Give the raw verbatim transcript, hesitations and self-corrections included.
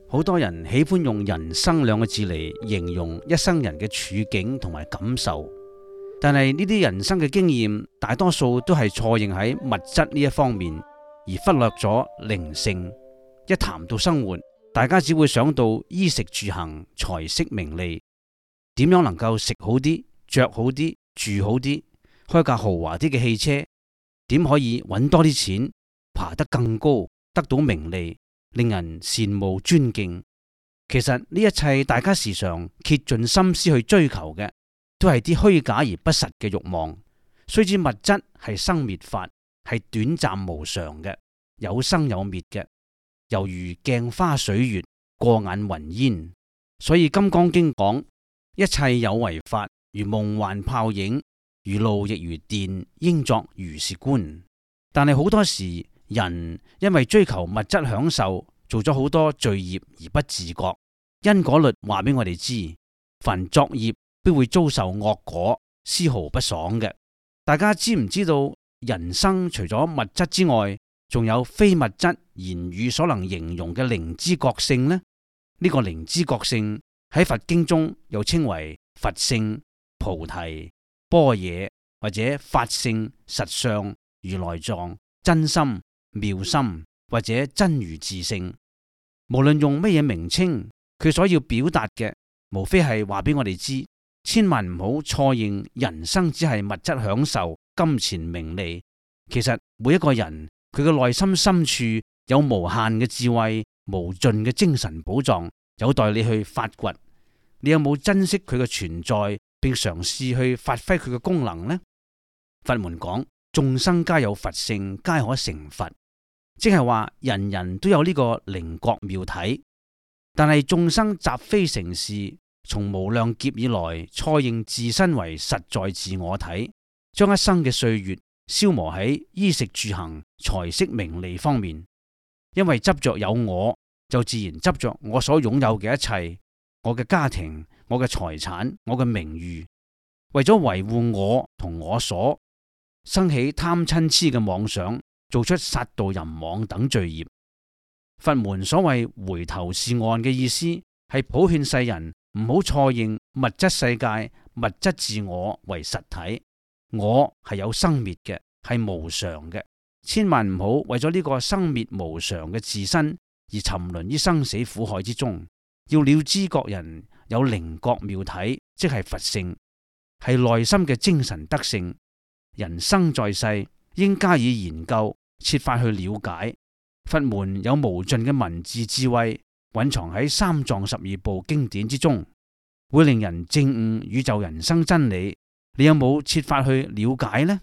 好多人喜歡用人生兩個字嚟形容一生人嘅處境同埋感受，但係呢啲人生嘅經驗大多數都係錯認喺物質呢一方面，而忽略咗靈性。一談到生活，大家只會想到衣食住行、財色名利，點樣能夠食好啲、着好啲、住好啲，開架豪華啲嘅汽車，點可以揾多啲錢、爬得更高、得到名利，令人羨慕尊敬。其實呢一切大家時常竭盡心思去追求嘅，都係啲虛假而不實嘅慾望。雖知物質係生滅法，係短暫無常嘅，有生有滅嘅，猶如鏡花水月、過眼雲煙。所以《金剛經》講：一切有為法，如夢幻泡影，如露亦如電，應作如是觀。但係好多時，人因為追求物質享受，做咗好多罪孽而不自覺。因果律話俾我哋知，凡作業必會遭受惡果，絲毫不爽嘅。大家知唔知道人生除咗物質之外，仲有非物質言語所能形容嘅靈知覺性呢？呢、這個靈知覺性喺佛經中又稱為佛性、菩提、般若，或者法性、實相、如來藏、真心、妙心，或者真如自性。無論用乜嘢名稱，佢所要表達嘅，無非係話俾我哋知，千萬唔好錯認人生只係物質享受、金錢名利。其實每一個人佢嘅內心深處有無限嘅智慧、無盡嘅精神寶藏，有待你去發掘。你有冇珍惜佢嘅存在，並嘗試去發揮佢嘅功能呢？佛門講眾生皆有佛性，皆可成佛，即係話人人都有呢個靈覺妙體。但係眾生習非成是，從無量劫以來錯認自身為實在自我體，將一生嘅歲月消磨喺衣食住行、財色名利方面。因為執着有我，就自然執着我所擁有嘅一切，我嘅家庭、我嘅財產、我嘅名譽。為咗維護我同我所，生起貪嗔癡嘅妄想，做出殺盜淫妄等罪孽。佛門所謂回頭是岸嘅意思，係普勸世人唔好錯認物質世界、物質自我為實體。我係有生滅嘅，係無常嘅，千萬唔好為咗呢個生滅無常嘅自身而沉淪於生死苦海之中。要了知覺人有靈覺妙體，即係佛性，係內心嘅精神德性。人生在世，應加以研究，設法去了解。佛門有無盡嘅文字智慧，蘊藏喺三藏十二部經典之中，會令人證悟宇宙人生真理。你有冇設法去了解呢？